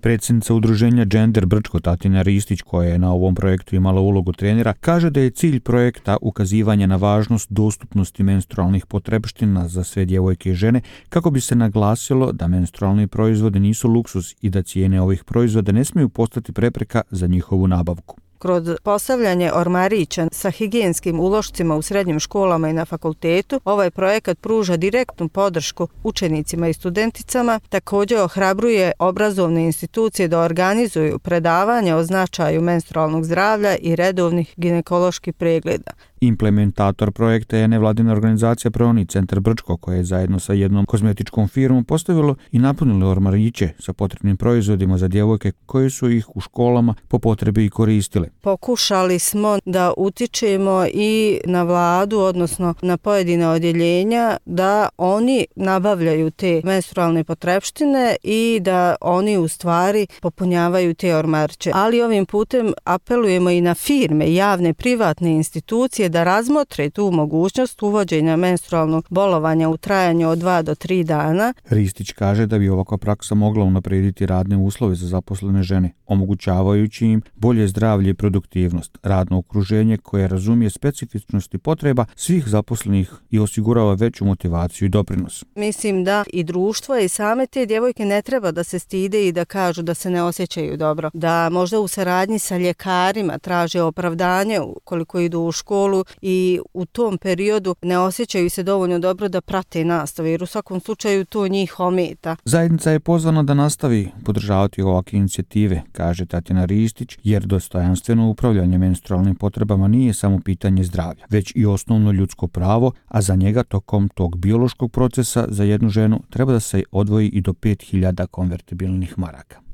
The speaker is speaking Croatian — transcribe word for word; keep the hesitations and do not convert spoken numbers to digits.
Predsjednica udruženja Gender Brčko Tatjana Ristić, koja je na ovom projektu imala ulogu trenera, kaže da je cilj projekta ukazivanje na važnost dostupnosti menstrualnih potrepština za sve djevojke i žene, kako bi se naglasilo da menstrualni proizvodi nisu luksuz i da cijene ovih proizvoda ne smiju postati prepreka za njihovu nabavku. Kroz postavljanje ormarića sa higijenskim ulošcima u srednjim školama i na fakultetu, ovaj projekat pruža direktnu podršku učenicima i studenticama, također ohrabruje obrazovne institucije da organizuju predavanja o značaju menstrualnog zdravlja i redovnih ginekoloških pregleda. Implementator projekta je nevladina organizacija Proni Centar Brčko, koja je zajedno sa jednom kozmetičkom firmom postavilo i napunilo ormariće sa potrebnim proizvodima za djevojke koje su ih u školama po potrebi i koristile. Pokušali smo da utičemo i na vladu, odnosno na pojedine odjeljenja, da oni nabavljaju te menstrualne potrepštine i da oni u stvari popunjavaju te ormariće. Ali ovim putem apelujemo i na firme, javne, privatne institucije da razmotre tu mogućnost uvođenja menstrualnog bolovanja u trajanju od dva do tri dana. Ristić kaže da bi ovakva praksa mogla unaprijediti radne uslove za zaposlene žene, omogućavajući im bolje zdravlje i produktivnost, radno okruženje koje razumije specifičnosti potreba svih zaposlenih i osigurava veću motivaciju i doprinos. Mislim da i društvo i same te djevojke ne treba da se stide i da kažu da se ne osjećaju dobro, da možda u saradnji sa ljekarima traže opravdanje ukoliko idu u školu i u tom periodu ne osjećaju se dovoljno dobro da prate nastavu, jer u svakom slučaju to njih ometa. Zajednica je pozvana da nastavi podržavati ovakve inicijative, kaže Tatjana Ristić, jer dostojanstveno upravljanje menstrualnim potrebama nije samo pitanje zdravlja, već i osnovno ljudsko pravo, a za njega tokom tog biološkog procesa za jednu ženu treba da se odvoji i do pet hiljada konvertibilnih maraka.